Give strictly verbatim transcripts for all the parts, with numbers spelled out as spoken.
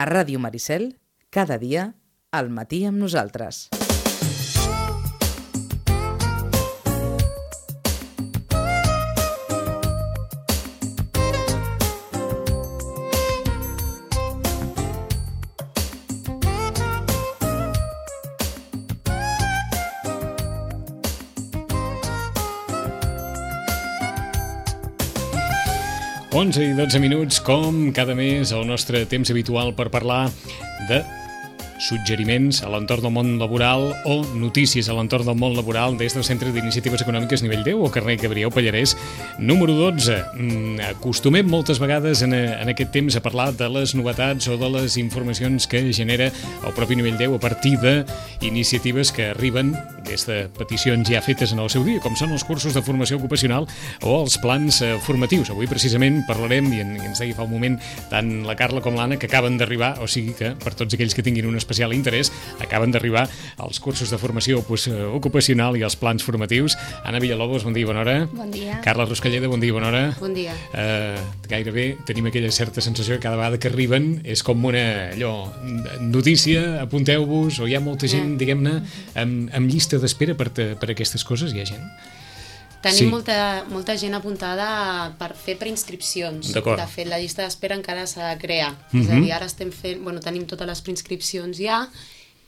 A Ràdio Maricel, cada dia, al matí amb nosaltres. onze i dotze minuts, com cada mes, el nostre temps habitual per parlar de suggeriments a l'entorn del món laboral o notícies a l'entorn del món laboral des del Centre d'Iniciatives Econòmiques Nivell deu o carrer Gabriel Pallarès, número dotze. Acostumem moltes vegades en, en aquest temps a parlar de les novetats o de les informacions que genera el propi Nivell deu a partir d'iniciatives que arriben des de peticions ja fetes en el seu dia, com són els cursos de formació ocupacional o els plans formatius. Avui precisament parlarem, i ens deia fa un moment tant la Carla com l'Anna, que acaben d'arribar, o sigui que per tots aquells que tinguin una especial interès, acaben d'arribar els cursos de formació ocupacional i els plans formatius. Anna Villalobos, bon dia i bona hora. Bon dia. Carla Ruscalleda, bon dia i bona hora. Bon dia. Uh, gairebé tenim aquella certa sensació que cada vegada que arriben és com una allò, notícia, apunteu-vos, o hi ha molta gent, diguem-ne, amb, amb llista d'espera per, per aquestes coses, hi ha gent? Tenim Sí. molta, molta gent apuntada per fer preinscripcions. D'acord. De fet, la llista d'espera encara s'ha de crear. Mhm. És a dir, ara estem fent, bueno, tenim totes les preinscripcions ja,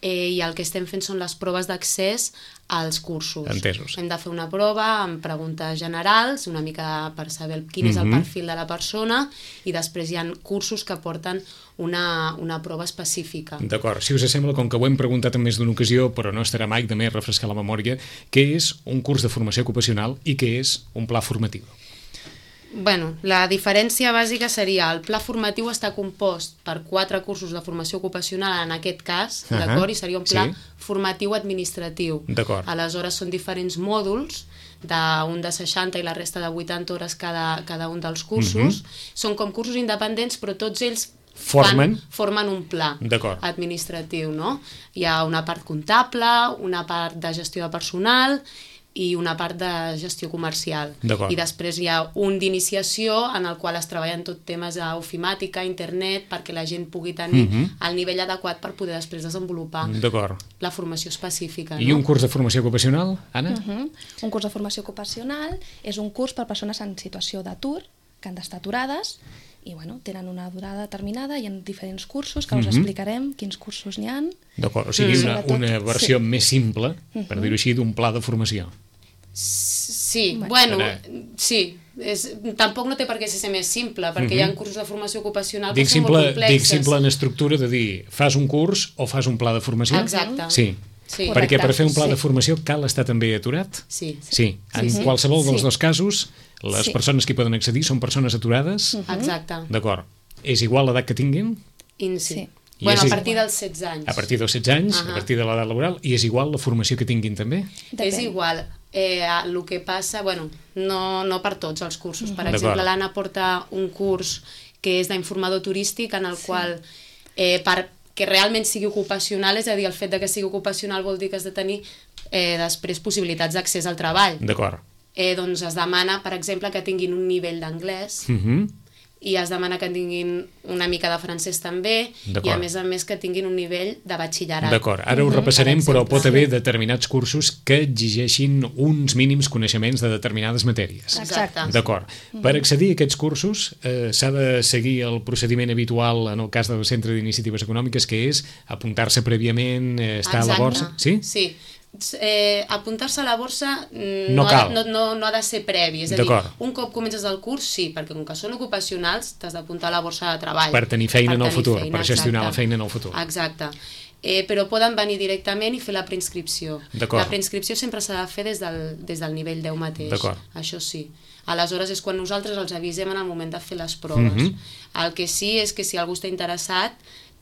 eh, i el que estem fent són les proves d'accés als cursos. Entesos. Hem de fer una prova amb preguntes generals, una mica per saber quin és el Mhm. perfil de la persona, i després hi ha cursos que porten una, una prova específica. D'acord, si us sembla, com que ho hem preguntat en més d'una ocasió, però no estarà mai de més refrescar la memòria, què és un curs de formació ocupacional i què és un pla formatiu? Bueno, la diferència bàsica seria el pla formatiu està compost per quatre cursos de formació ocupacional en aquest cas, Ahà, d'acord? I seria un pla sí. formatiu administratiu. D'acord. Aleshores són diferents mòduls, d'un de seixanta i la resta de vuitanta hores cada, cada un dels cursos. Mhm. Són com cursos independents, però tots ells Formen. fan, formen un pla D'acord. administratiu, no? Hi ha una part comptable, una part de gestió de personal i una part de gestió comercial. D'acord. I després hi ha un d'iniciació en el qual es treballen tot temes d'ofimàtica, internet, perquè la gent pugui tenir Mhm. el nivell adequat per poder després desenvolupar D'acord. la formació específica. I no? un curs de formació ocupacional, Anna? Uh -huh. Un curs de formació ocupacional és un curs per persones en situació d'atur, que han d'estar aturades, i bueno, tenen una durada determinada, hi ha diferents cursos que us Mhm. explicarem quins cursos n'hi ha. D'acord, o sigui, Mm. una, una versió Sí. més simple, per dir-ho així, d'un pla de formació. Sí, Bueno. bueno, sí. És, tampoc no té per què ser més simple, perquè hi ha cursos de formació ocupacional que Dic són molt simple, complexes. dic simple en estructura de dir, fas un curs o fas un pla de formació? Exacte. Sí. Sí. Perquè per fer un pla Sí. de formació cal estar també aturat? Sí. Sí. En sí. qualsevol dels Sí. dos casos, les Sí. persones que hi poden accedir són persones aturades? Exacte. D'acord. És igual l'edat que tinguin? In, sí. Sí. I Bueno, és a partir dels setze anys. A partir dels setze anys, Ahà. a partir de l'edat laboral, i és igual la formació que tinguin també? Depèn. És igual. Eh, el que passa, bueno, no, no per tots els cursos. Per D'acord. exemple, l'Anna porta un curs que és d'informador turístic, en el qual, eh, per que realment sigui ocupacional, és a dir, el fet de que sigui ocupacional vol dir que has de tenir eh, després possibilitats d'accés al treball. D'acord. Eh, doncs es demana, per exemple, que tinguin un nivell d'anglès, Mhm. i es demana que tinguin una mica de francès també, i D'acord. a més a més que tinguin un nivell de batxillerat. D'acord, ara ho repassarem, Per però exemple. pot haver determinats cursos que exigeixin uns mínims coneixements de determinades matèries. Exacte. D'acord. Per accedir a aquests cursos eh, s'ha de seguir el procediment habitual en el cas del Centre d'Iniciatives Econòmiques, que és apuntar-se prèviament, eh, estar a la Exacte. borsa. Sí? Sí. Eh, apuntar-se a la borsa mm, No no, cal. ha de, no, no, no ha de ser previ, és a dir, D'acord. un cop comences el curs sí, perquè com que són ocupacionals t'has d'apuntar a la borsa de treball Per tenir feina en el tenir futur, feina, per gestionar exacte. la feina en el futur. Exacte. Eh, però poden venir directament i fer la preinscripció. D'acord. La preinscripció sempre s'ha de fer des del, des del nivell deu mateix. D'acord. Això sí. Aleshores és quan nosaltres els avisem en el moment de fer les proves. Mhm. El que sí és que si algú està interessat,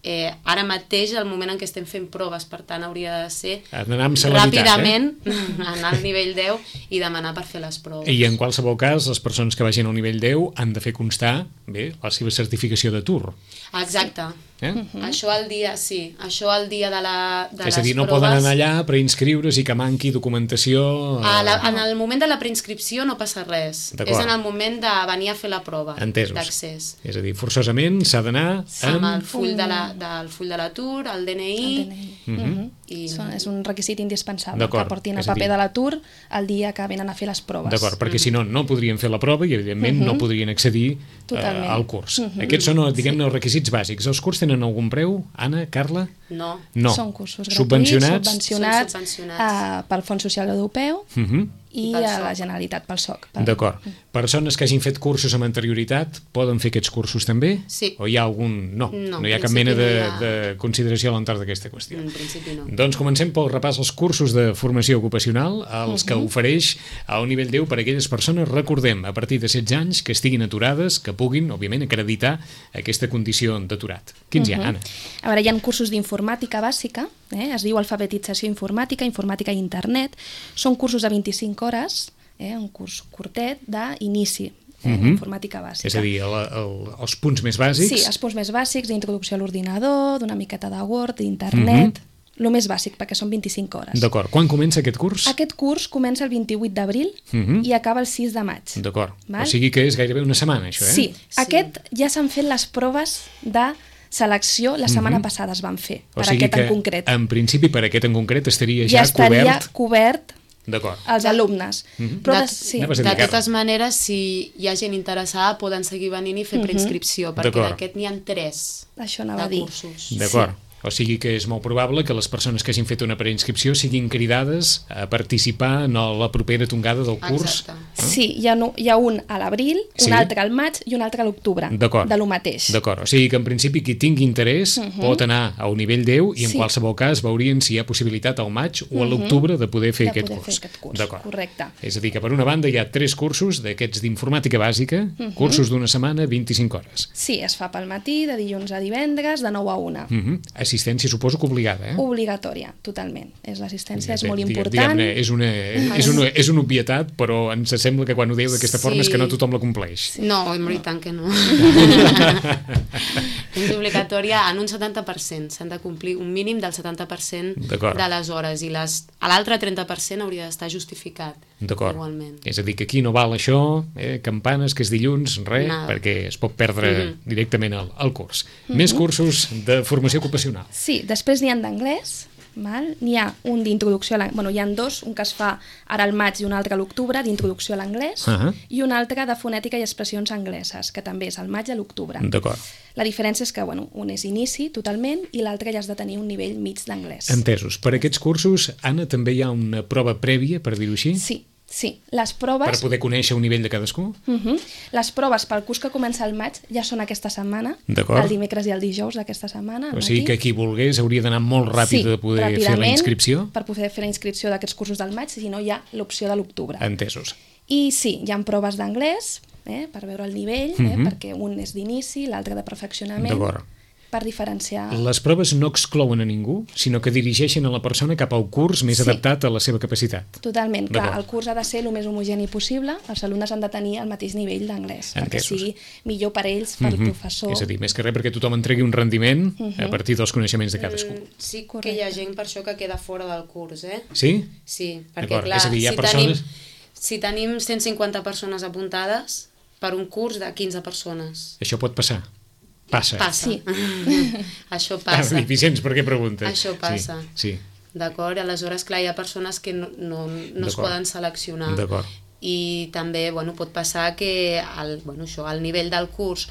eh, ara mateix, al moment en què estem fent proves, per tant hauria de ser Anar amb celeritat, ràpidament anar al nivell deu i demanar per fer les proves. I en qualsevol cas, les persones que vagin al nivell deu han de fer constar bé la seva certificació d'atur. Exacte. Eh? Mm. Això el dia, sí. Això el dia de, la, de és les a dir, no proves... poden anar allà per inscriure's i que manqui documentació... A la, en el moment de la preinscripció no passa res. És en el moment de venir a fer la prova d'accés. És a dir, forçosament s'ha d'anar amb... Amb el full de la, del full de l'atur, el D N I... El D N I. Mm -hmm. I... És un requisit indispensable, que portin el paper de l'atur el dia que venen a fer les proves. D'acord, perquè si no, no podrien fer la prova i, evidentment, no podrien accedir uh, al curs. Aquests són, diguem-ne, els requisits bàsics. Els cursos tenen algun preu, Anna, Carla? No. No. Són cursos gratuïts, subvencionats, subvencionats, subvencionats. Uh, pel Fons Social Europeu uh -huh. i a la Generalitat, pel S O C. Pel... D'acord. Persones que hagin fet cursos amb anterioritat poden fer aquests cursos també? Sí. O hi ha algun... No, no, no hi ha cap mena de, ha... de consideració a l'entorn d'aquesta qüestió. En principi no. Doncs comencem pel repàs als cursos de formació ocupacional, els uh -huh. que ofereix al nivell deu per a aquelles persones, recordem, a partir de setze anys, que estiguin aturades, que puguin, òbviament, acreditar aquesta condició d'aturat. Quins uh -huh. hi ha, Anna? A veure, hi ha cursos d'informàtica bàsica, eh? Es diu alfabetització informàtica, informàtica i internet. Són cursos de vint-i-cinc hores, eh? Un curs curtet d'inici, eh? uh -huh. informàtica bàsica. És a dir, el, el, els punts més bàsics... Sí, els punts més bàsics d'introducció a l'ordinador, d'una miqueta de Word, d'internet... Uh -huh. El més bàsic, perquè són vint-i-cinc hores. D'acord. Quan comença aquest curs? Aquest curs comença el vint-i-vuit d'abril uh -huh. i acaba el sis de maig. D'acord. O sigui que és gairebé una setmana, això, eh? Sí. sí. Aquest ja s'han fet les proves de selecció, la setmana uh -huh. passada es van fer, o per sigui aquest que, en concret. en principi, per aquest en concret estaria ja, ja estaria cobert... cobert D'acord. Els alumnes. Uh -huh. Però de, de, sí. de totes maneres, si hi ha gent interessada, poden seguir venint i fer uh -huh. preinscripció, perquè d'aquest n'hi ha tres Això anava a dir. cursos. D'acord. Sí. O sigui que és molt probable que les persones que hagin fet una preinscripció siguin cridades a participar en la propera tongada del curs. Exacte. Eh? Sí, hi ha, no, hi ha un a l'abril, sí. un altre al maig i un altre a l'octubre, de lo mateix. D'acord, o sigui que en principi qui tingui interès uh -huh. pot anar a un nivell deu i en sí. qualsevol cas veurien si hi ha possibilitat al maig o a l'octubre de poder fer, de aquest, poder curs. fer aquest curs. D'acord. Correcte. És a dir, que per una banda hi ha tres cursos d'aquests d'informàtica bàsica, uh -huh. cursos d'una setmana, vint-i-cinc hores. Sí, es fa pel matí, de dilluns a divendres, de nou a una. Uh -huh. Assistència, suposo que obligada, eh? Obligatòria, totalment. És l'assistència, és molt Diguem, important. Diguem-ne, és una, és, una, és una obvietat, però ens sembla que quan ho dieu d'aquesta sí. forma és que no tothom la compleix. Sí. No, en veritat que no. És obligatòria en un setanta per cent. S'han de complir un mínim del setanta per cent de les hores i les, a l'altre trenta per cent hauria d'estar justificat. D'acord. Igualment. És a dir, que aquí no val això, eh, campanes, que és dilluns, res, no. perquè es pot perdre uh -huh. directament el, el curs. Uh -huh. Més cursos de formació ocupacional. Sí, després n'hi ha d'anglès, n'hi ha un d'introducció a l'anglès, bueno, hi ha dos, un que es fa ara al maig i un altre a l'octubre, d'introducció a l'anglès, uh -huh. i un altre de fonètica i expressions angleses, que també és al maig i a l'octubre. D'acord. La diferència és que, bueno, un és inici totalment i l'altre ja has de tenir un nivell mig d'anglès. Entesos. Per aquests cursos, Anna, també hi ha una prova prèvia, per dir-ho així? Sí. Sí, les proves... Per poder conèixer un nivell de cadascú? Uh -huh. Les proves pel curs que comença al maig ja són aquesta setmana, el dimecres i el dijous d'aquesta setmana. O sigui que qui volgués hauria d'anar molt ràpid sí, de poder fer la inscripció? Per poder fer la inscripció d'aquests cursos del maig, si no hi ha l'opció de l'octubre. Entesos. I sí, hi ha proves d'anglès, eh, per veure el nivell, uh -huh. eh, perquè un és d'inici, l'altre de perfeccionament. D'acord. Per diferenciar... Les proves no exclouen a ningú, sinó que dirigeixen a la persona cap al curs més sí. adaptat a la seva capacitat. Totalment, clar, el curs ha de ser el més homogeni possible, els alumnes han de tenir el mateix nivell d'anglès, perquè sigui millor per ells, per uh -huh. el professor... És a dir, més que res perquè tothom entregui un rendiment uh -huh. a partir dels coneixements de cadascú. Mm, sí, correcte. Que hi ha gent per això que queda fora del curs, eh? Sí? Sí, perquè clar, és a dir, hi ha si, persones... tenim, si tenim cent cinquanta persones apuntades per un curs de quinze persones... Això pot passar? Passa. Passa. Sí. Això Ah, passa. Vicenç, per què preguntes? Això passa. Sí. sí. D'acord? Aleshores, clar, hi ha persones que no, no, no es poden seleccionar. D'acord. I també, bueno, pot passar que el, bueno, això, el nivell del curs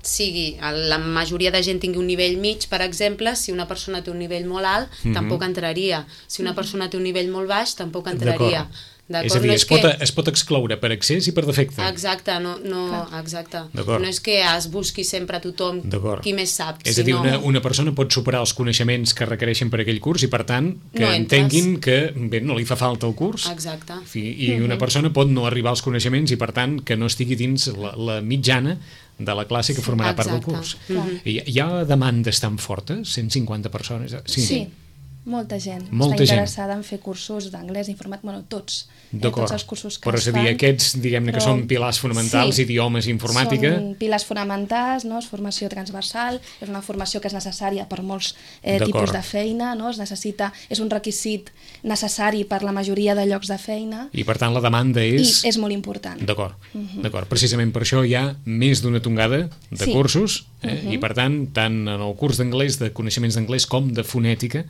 sigui, la majoria de gent tingui un nivell mig, per exemple, si una persona té un nivell molt alt, mm-hmm. tampoc entraria. Si una persona té un nivell molt baix, tampoc entraria. És a dir, no es, pot, que... es pot excloure per accés i per defecte. Exacte, no, no, exacte. No és que es busqui sempre a tothom qui més sap. És a dir, una, una persona pot superar els coneixements que requereixen per aquell curs i, per tant, que no entenguin que bé, no li fa falta el curs. Exacte. I una persona pot no arribar als coneixements i, per tant, que no estigui dins la, la mitjana de la classe que formarà Exacte. part del curs. Mm-hmm. Hi, hi ha demandes tan fortes? cent cinquanta persones? Sí. sí. Molta gent Molta està gent. interessada en fer cursos d'anglès, informàtic, bueno, tots, eh, D'acord. tots els cursos que Però es és a dir, fan. aquests, diguem-ne, que però- són pilars fonamentals, Sí. idiomes, informàtica... Són pilars fonamentals, no? És formació transversal, és una formació que és necessària per molts eh, D'acord. tipus de feina, no? Es necessita, és un requisit necessari per la majoria de llocs de feina I, per tant, la demanda i és... és molt important. D'acord, d'acord. Precisament per això hi ha més d'una tongada de Sí. cursos, eh? I per tant, tant en el curs d'anglès, de coneixements d'anglès, com de fonètica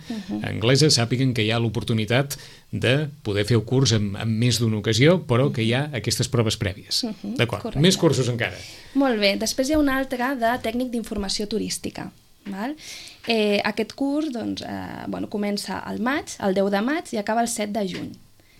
anglesa, sàpiguen que hi ha l'oportunitat de poder fer el curs en, en més d'una ocasió, però que hi ha aquestes proves prèvies. D'acord, correcte. més cursos encara. Molt bé, després hi ha un altre de tècnic d'informació turística. Val? Eh, aquest curs doncs, eh, bueno, comença al maig, el deu de maig, i acaba el set de juny.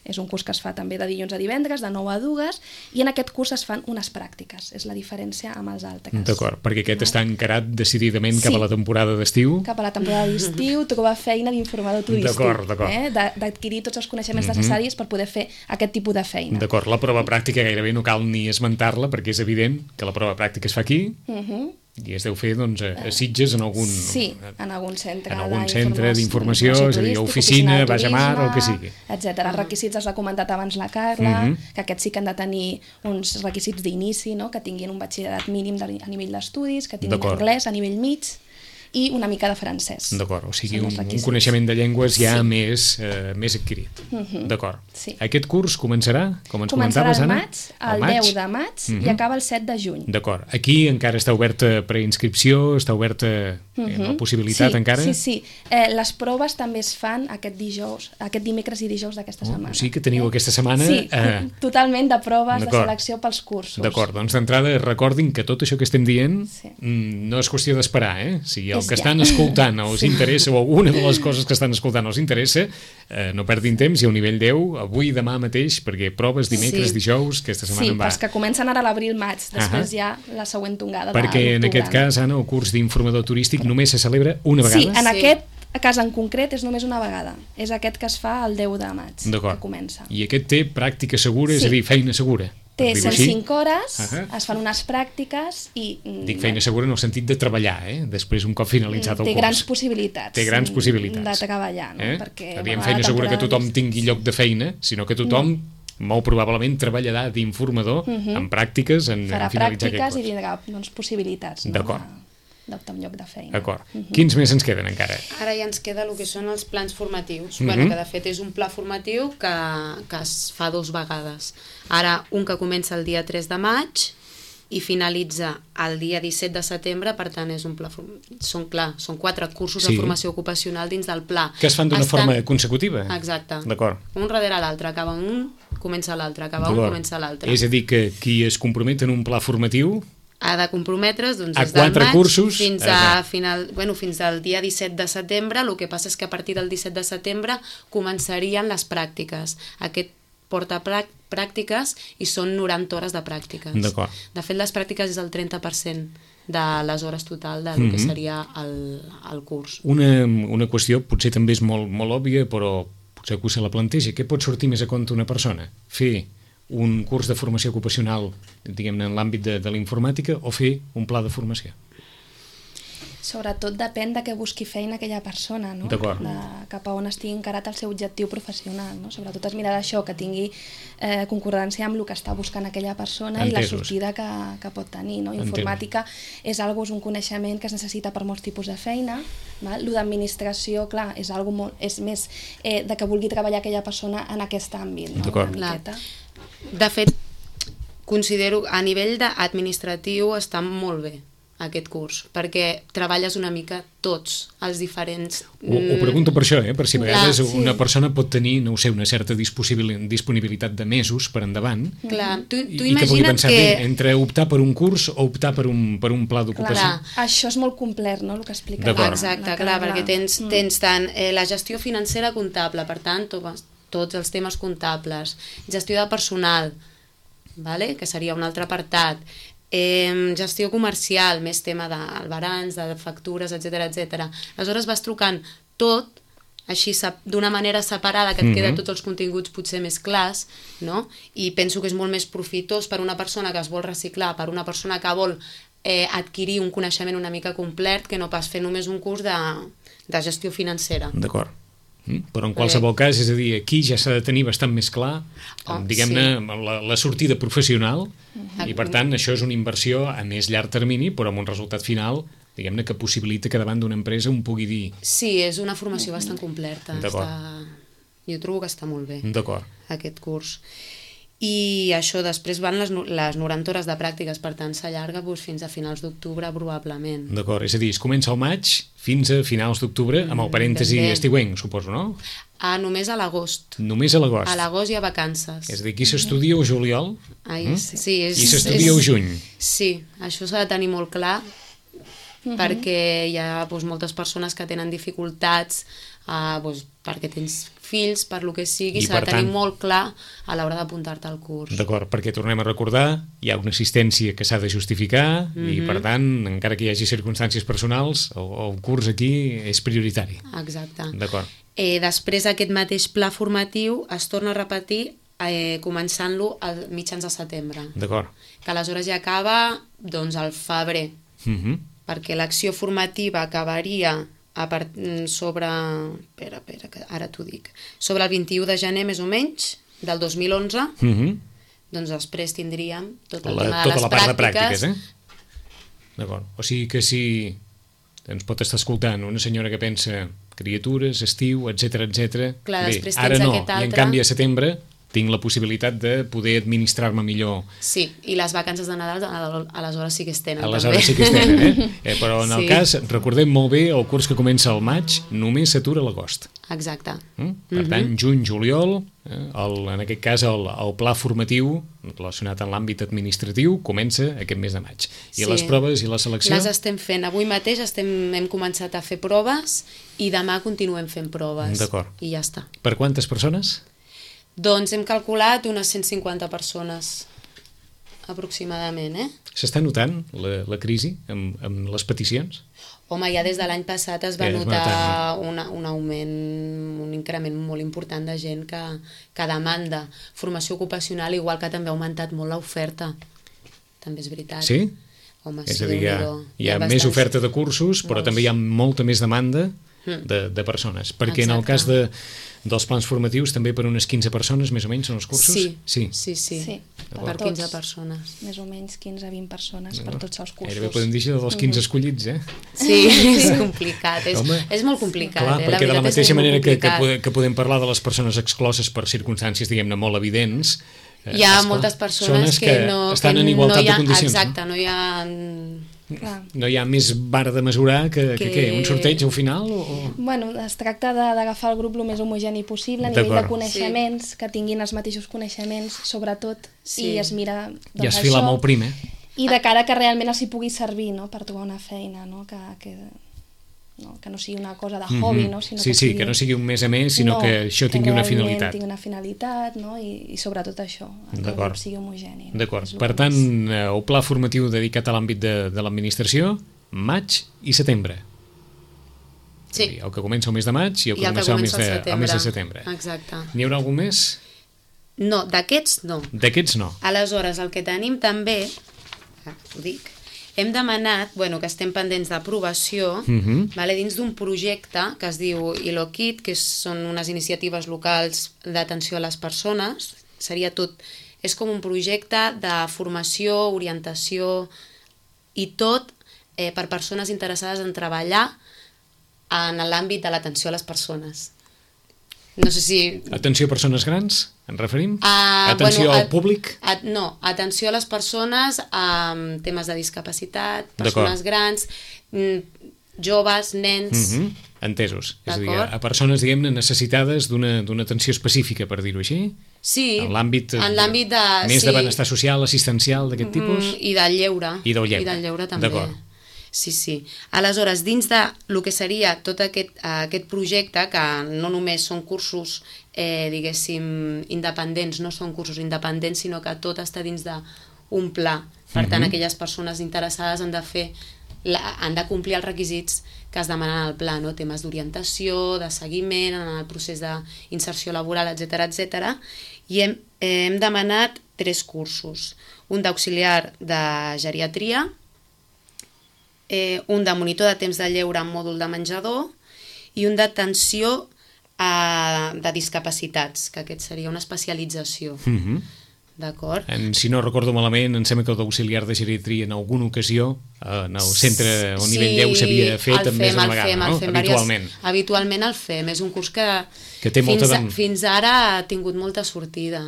És un curs que es fa també de dilluns a divendres, de nou a dues, i en aquest curs es fan unes pràctiques. És la diferència amb els altres. D'acord, perquè aquest està encarat decididament cap Sí. a la temporada d'estiu. Cap a la temporada d'estiu, trobar feina d'informador turístic. D'acord, d'acord. Eh? De- D'adquirir tots els coneixements necessaris per poder fer aquest tipus de feina. D'acord, la prova pràctica gairebé no cal ni esmentar-la, perquè és evident que la prova pràctica es fa aquí, Uh-huh. i es deu fer doncs, a, a Sitges, en algun... Sí, en algun centre. en algun d'informació- centre d'informació, és a dir, turística, oficina, de baix a mar, turisme, el que sigui. etcètera. Els requisits els ha comentat abans la Carla, Mhm. que aquests sí que han de tenir uns requisits d'inici, no? Que tinguin un batxillerat mínim de, a nivell d'estudis, que tinguin D'acord. anglès a nivell mig i una mica de francès. D'acord, o sigui, Són un, els un requisits. coneixement de llengües ja Sí. més, eh, més adquirit. D'acord. Sí. Aquest curs començarà, com ens Començarà comentaves, al Anna? maig, el deu de maig, i acaba el set de juny. D'acord. Aquí encara està oberta preinscripció, està oberta eh, la possibilitat sí, encara? Sí, sí. Eh, les proves també es fan aquest dijous, aquest dimecres i dijous d'aquesta setmana. O sigui que teniu aquesta setmana... Sí, eh, totalment de proves de d'acord. selecció pels cursos. D'acord, doncs d'entrada recordin que tot això que estem dient Sí. mm, no és qüestió d'esperar, eh? Si el És que ja. estan escoltant els interessa, o alguna de les coses que estan escoltant els interessa, eh, no perdin temps, i a un nivell deu, avui, demà mateix, perquè proves dimecres, Sí. dijous, aquesta setmana Sí, en va. pels que comencen ara a l'abril-maig, després Ahà. ja la següent tongada Perquè de en l'octubre. aquest cas, Anna, el curs d'informador turístic només se celebra una vegada? Sí, en Sí. aquest cas en concret és només una vegada. És aquest que es fa el deu de maig, D'acord. que comença. I aquest té pràctica segura, és Sí. a dir, feina segura. per Té dir-ho cent així. cinc hores, Ahà. es fan unes pràctiques i... mm, Dic feina segura en el sentit de treballar, eh? Després, un cop finalitzat el té curs. grans possibilitats. Té grans possibilitats. De treballar, no? Eh? Perquè, No diem bueno, feina la segura que temporada tothom tingui lloc de feina, sinó que tothom, molt probablement, treballarà d'informador en pràctiques en, farà en finalitzar pràctiques aquest i curs. tindrà doncs, possibilitats, no? D'acord. de- d'optar un lloc de feina. D'acord. Quins més ens queden encara? Ara ja ens queda el que són els plans formatius, Mhm. bueno, que de fet és un pla formatiu que, que es fa dos vegades. Ara un que comença el dia tres de maig i finalitza el dia disset de setembre, per tant és un pla form- són clar, són quatre cursos Sí. de formació ocupacional dins del pla. Que es fan d'una Estan- forma consecutiva? Exacte. D'acord. Un darrere l'altre, acaba un, comença l'altre, acaba un, D'acord. comença l'altre. És a dir, que qui es compromet en un pla formatiu Ha de comprometre's doncs, A des del quatre maig cursos, fins, exacte. a final, bueno, fins al dia disset de setembre. El que passa és que a partir del disset de setembre començarien les pràctiques. Aquest porta prà- pràctiques i són noranta hores de pràctiques. D'acord. De fet, les pràctiques és el trenta per cent de les hores total del que seria el, el curs. Una, una qüestió potser també és molt, molt òbvia, però potser que se la planteja. Què pot sortir més a compte una persona? Fer un curs de formació ocupacional, diguem-ne, en l'àmbit de, de la informàtica, o fer un pla de formació? Sobretot depèn de què busqui feina aquella persona, no? D'acord. De, cap a on estigui encarat el seu objectiu professional, no? Sobretot es mirarà això, que tingui eh, concordància amb el que està buscant aquella persona i la Entesos. sortida que, que pot tenir, no? Entesos. Informàtica és algo, és un coneixement que es necessita per molts tipus de feina, val? Lo d'administració, clar, és algo molt, és més eh, de que vulgui treballar aquella persona en aquest àmbit, no? D'acord. Una Clar. miqueta. De fet, considero a nivell administratiu està molt bé aquest curs, perquè treballes una mica tots els diferents... Ho, ho pregunto per això, eh? Per si a vegades Clar, sí. una persona pot tenir, no ho sé, una certa disposibil- disponibilitat de mesos per endavant, Clar, tu, i, tu i que pugui imagina't pensar que... bé, entre optar per un curs o optar per un, per un pla d'ocupació. Clar. Això és molt complet, no?, el que explica. D'acord. Exacte, clar, perquè tens, tens tant eh, la gestió financera comptable, per tant, to, tots els temes comptables, gestió de personal, vale? Que seria un altre apartat, eh, gestió comercial, més tema d'albarans, de factures, etcètera, etcètera. Aleshores vas trucant tot, així d'una manera separada, que et queda tots els continguts potser més clars, no? I penso que és molt més profitós per una persona que es vol reciclar, per una persona que vol eh, adquirir un coneixement una mica complet, que no pas fer només un curs de, de gestió financera. D'acord. Mm? Però en qualsevol cas, és a dir, aquí ja s'ha de tenir bastant més clar, Oh, diguem-ne, sí. la, la sortida professional, Mm-hmm. i per tant això és una inversió a més llarg termini, però amb un resultat final, diguem-ne, que possibilita que davant d'una empresa un pugui dir... Sí, és una formació bastant completa. D'acord. Està... Jo trobo que està molt bé, D'acord. aquest curs. I això, després van les, no- les noranta hores de pràctiques, per tant s'allarga doncs, fins a finals d'octubre probablement. D'acord, és a dir, es comença al maig fins a finals d'octubre, amb el parèntesi ben bé. estiuenc, suposo, no? Ah, només a l'agost. Només a l'agost. A l'agost hi ha vacances. És a dir, aquí s'estudia o juliol Ai, Mm? sí, és, i s'estudia és- o juny. Sí, això s'ha de tenir molt clar, perquè hi ha doncs, moltes persones que tenen dificultats, uh, doncs, perquè tens fills, per lo que sigui, I s'ha per de tenir tant- molt clar a l'hora d'apuntar-te al curs. D'acord, perquè tornem a recordar, hi ha una assistència que s'ha de justificar i, per tant, encara que hi hagi circumstàncies personals, el, el curs aquí és prioritari. Exacte. D'acord. Eh, després aquest mateix pla formatiu es torna a repetir eh, començant-lo a mitjans de setembre, D'acord. que aleshores ja acaba doncs, al febrer, Mhm. perquè l'acció formativa acabaria a part, sobre... Espera, espera, que ara t'ho dic. Sobre el vint-i-u de gener, més o menys, del dos mil onze, Mhm. doncs després tindríem tot el La, tema de tota les la part de pràctiques. pràctiques, eh? D'acord. O sigui que si ens pot estar escoltant una senyora que pensa criatures, estiu, etcètera, etcètera. Clar, Bé, després ara tens no, aquest i en altre. canvi a setembre tinc la possibilitat de poder administrar-me millor. Sí, i les vacances de Nadal al- aleshores sí que es tenen. Aleshores també. sí que es tenen, eh? eh? Però en el Sí. cas, recordem molt bé, el curs que comença al maig només s'atura a l'agost. Exacte. Mm? Per tant, juny, juliol, eh, el, en aquest cas el, el pla formatiu relacionat amb l'àmbit administratiu comença aquest mes de maig. I Sí. les proves i la selecció? Les estem fent. Avui mateix estem, hem començat a fer proves i demà continuem fent proves. D'acord. I ja està. Per quantes persones? Doncs hem calculat unes cent cinquanta persones aproximadament, eh? S'està notant la, la crisi amb, amb les peticions? Home, ja des de l'any passat es va Ja es va notar notar, una, un augment, un increment molt important de gent que, que demanda formació ocupacional, igual que també ha augmentat molt l'oferta. També és veritat. Sí? Home, És sí, a dir, hi ha, Déu-n'hi-do. hi ha bastants- més oferta de cursos, però molts. també hi ha molta més demanda de, de persones. Perquè en el Exacte. cas de, dels plans formatius, també per unes quinze persones, més o menys, són els cursos? Sí, Sí. sí, sí. Sí, Per per quinze tots. persones. Més o menys quinze a vint persones per tots els cursos. Gairebé podem dir això dels quinze escollits, eh? Sí, és complicat, és, Home, és molt complicat. Clar, eh? perquè de la veritat és mateixa molt manera que, que, complicat. pode, que podem parlar de les persones excloses per circumstàncies, diguem-ne, molt evidents, eh, Hi ha esclar, moltes són persones les que, no, estan que en igualtat no hi ha, de condicions. exacte, no hi ha... Clar. No? no hi ha més vara de mesurar que, que... que Que- què? Un sorteig al final? O... o- Bueno, es tracta de- d'agafar el grup el més homogeni possible a nivell de D'acord. coneixements, que tinguin els mateixos coneixements, sobretot, Sí. i es mira doncs, I es fila això, molt prim, eh? i de cara que realment els hi pugui servir, no?, per trobar una feina, no?, que, que, no, que no sigui una cosa de hobby, no? Sinó sí, que sí, sigui... que no sigui un més a més, sinó No, que això tingui una realment finalitat. tingui una finalitat, no?, i, i sobretot això, que el D'acord. grup sigui homogeni. no? D'acord. És el Per que tant, més- eh, el pla formatiu dedicat a l'àmbit de, de l'administració, maig i setembre. És a Sí. dir, el que comença el mes de maig i el que I el que comença el mes comença de, al el mes de setembre. setembre. Exacte. N'hi haurà algun més? No, d'aquests no. D'aquests no. Aleshores, el que tenim també, ah, ho dic, hem demanat, bueno, que estem pendents d'aprovació, Mhm. vale, dins d'un projecte que es diu ILOKIT, que són unes iniciatives locals d'atenció a les persones, seria tot, és com un projecte de formació, orientació i tot eh, per persones interessades en treballar en l'àmbit de l'atenció a les persones. No sé si... Atenció a persones grans, ens referim? Ah, Atenció bueno, al públic? A, no, atenció a les persones amb temes de discapacitat, D'acord. persones grans, mm, joves, nens... Mhm. Entesos. És a dir, D'acord. a persones, diguem-ne, necessitades d'una d'una atenció específica, per dir-ho així? Sí, En l'àmbit, eh, en l'àmbit de... més sí, de benestar social, assistencial, d'aquest tipus? Mm, I del lleure. I del lleure. I del lleure també. D'acord. Sí, sí. Aleshores, dins de el que seria tot aquest, aquest projecte, que no només són cursos, eh, diguéssim, independents, no són cursos independents, sinó que tot està dins d'un pla. Per tant, Mhm. aquelles persones interessades han de fer, la, han de complir els requisits que es demanen al pla, no? Temes d'orientació, de seguiment, en el procés d'inserció laboral, etcètera, etcètera. I hem, eh, hem demanat tres cursos. Un d'auxiliar de geriatria, eh, un de monitor de temps de lleure en mòdul de menjador i un d'atenció uh, de discapacitats, que aquest seria una especialització. Mhm. D'acord? Si no recordo malament, em sembla que el d'auxiliar de geriatria en alguna ocasió en el centre o nivell deu s'havia fet amb més d'una vegada, no? Habitualment. Habitualment el fem, és un curs que, que té molta fins, a, fins ara ha tingut molta sortida.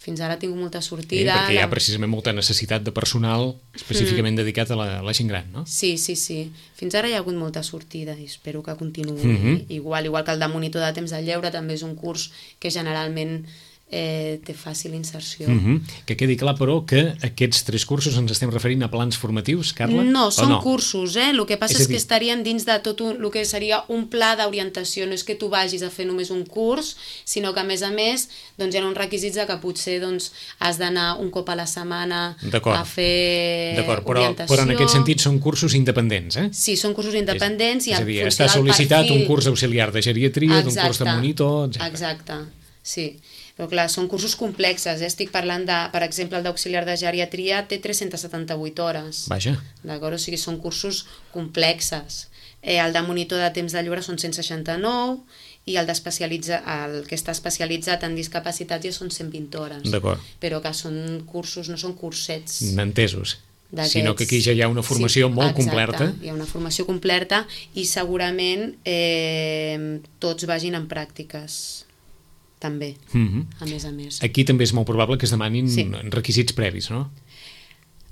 Fins ara ha tingut molta sortida. Eh, perquè hi ha precisament molta necessitat de personal específicament mm. dedicat a la, a la gent gran, no? Sí, sí, sí. Fins ara hi ha hagut molta sortida i espero que continuï mm -hmm. igual. Igual que el de monitor de temps de lleure també és un curs que generalment eh, té fàcil inserció. Mm-hmm. Que quedi clar, però, que aquests tres cursos ens estem referint a plans formatius, Carla? No, són no? cursos, eh? El que passa és, és que estarien dins de tot un, el que seria un pla d'orientació. No és que tu vagis a fer només un curs, sinó que, a més a més, doncs, hi ha uns requisits de que potser doncs, has d'anar un cop a la setmana a fer però, orientació. Però en aquest sentit són cursos independents, eh? Sí, són cursos independents. És, i és a dir, està sol·licitat perfil... un curs d'auxiliar de geriatria, d'un curs de monitor, etcètera. Exacte, sí. Però clar, són cursos complexes, eh? Estic parlant de, per exemple, el d'auxiliar de geriatria té tres-centes setanta-vuit hores. Vaja. D'acord? O sigui, són cursos complexes. Eh, el de monitor de temps de lleure són cent seixanta-nou i el, el que està especialitzat en discapacitats ja són cent vint hores. D'acord. Però que són cursos, no són cursets. Entesos. Sinó que aquí ja hi ha una formació sí, molt exacte, completa. Hi ha una formació completa i segurament eh, tots vagin en pràctiques. També, mm-hmm. a més a més. Aquí també és molt probable que es demanin sí. requisits previs, no?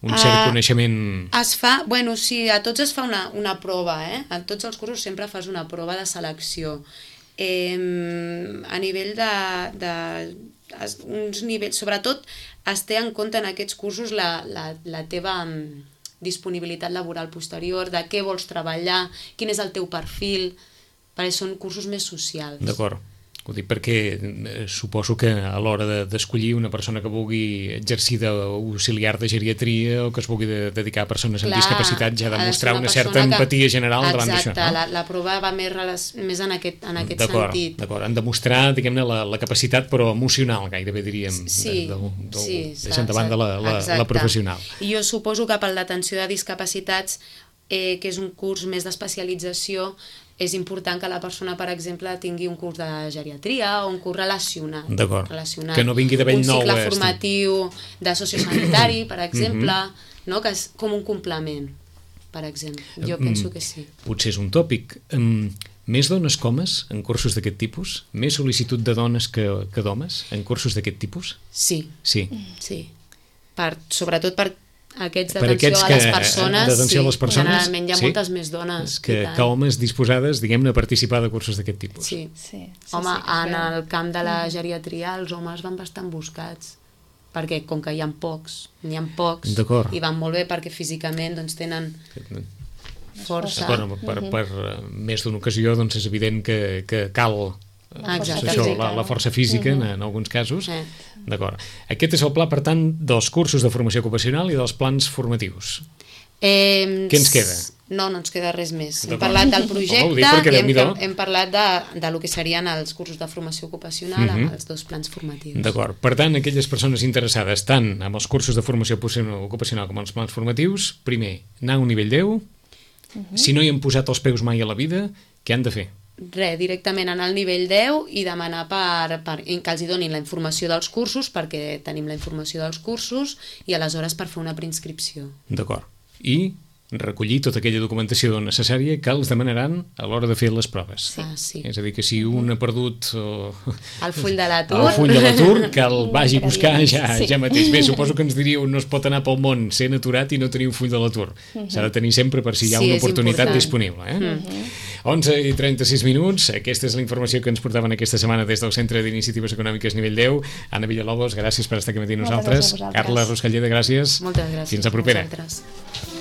Un cert uh, coneixement... Es fa, bueno, sí, a tots es fa una, una prova, eh? A tots els cursos sempre fas una prova de selecció. Eh, a nivell de, de uns nivells, sobretot es té en compte en aquests cursos la, la, la teva disponibilitat laboral posterior, de què vols treballar, quin és el teu perfil, perquè són cursos més socials. D'acord. Ho dic perquè eh, suposo que a l'hora d'escollir de, una persona que vulgui exercir d'auxiliar de geriatria o que es vulgui de, dedicar a persones Clar, amb discapacitat ja ha de mostrar una, una certa que, empatia general davant d'això. Exacte, no? la, la prova va més, més en aquest, en aquest sentit. D'acord, han de mostrar, diguem-ne, la, la capacitat però emocional, gairebé diríem, sí, de, de, de, sí, deixant davant de la, la, la professional. I jo suposo que pel d'atenció de discapacitats, eh, que és un curs més d'especialització, és important que la persona, per exemple, tingui un curs de geriatria o un curs relacionat. D'acord, que no vingui de bell nou. Un cicle formatiu de sociosanitari, per exemple, mm-hmm. no? Que és com un complement, per exemple. Jo penso que sí. Potser és un tòpic. Um, més dones que homes en cursos d'aquest tipus? Més sol·licitud de dones que, que d'homes en cursos d'aquest tipus? Sí. Sí. Sí. Per, sobretot per aquests d'atenció a les persones, sí, a les persones generalment hi ha sí? moltes més dones que, que homes disposades, diguem-ne, a participar de cursos d'aquest tipus. Sí, sí, sí home, sí, en el camp de la geriatria els homes van bastant buscats, perquè com que hi ha pocs, n'hi ha pocs, i van molt bé perquè físicament doncs, tenen força. Bueno, per, per més d'una ocasió doncs, és evident que, que cal Exacte. Això, la, la força física uh-huh. en, en alguns casos. Eh. D'acord. Aquest és el pla, per tant, dels cursos de formació ocupacional i dels plans formatius. Eh, Què ens queda? No, no ens queda res més. Hem parlat del projecte oh, i hem, hem parlat de, de lo que serien els cursos de formació ocupacional uh-huh. amb els dos plans formatius. D'acord. Per tant, aquelles persones interessades tant amb els cursos de formació ocupacional com els plans formatius, primer, anar a un nivell deu, uh-huh. si no hi han posat els peus mai a la vida, què han de fer? Res, directament anar al nivell deu i demanar per, per, que els donin la informació dels cursos, perquè tenim la informació dels cursos, i aleshores per fer una preinscripció. D'acord. I recollir tota aquella documentació necessària que els demanaran a l'hora de fer les proves. Sí. Ah, sí. És a dir, que si un ha perdut o... el full de l'atur, el full de l'atur, que el vagi a buscar ja, sí. ja mateix. Bé, suposo que ens diríeu no es pot anar pel món sent aturat i no tenir un full de l'atur. Uh-huh. S'ha de tenir sempre per si hi ha sí, una oportunitat important. Disponible. Eh? Uh-huh. onze i trenta-sis minuts, aquesta és la informació que ens portaven aquesta setmana des del Centre d'Iniciatives Econòmiques Nivell deu. Anna Villalobos, gràcies per estar aquí amb nosaltres. Carla Ruscalleda, gràcies. Moltes gràcies. Fins la propera. Vosaltres.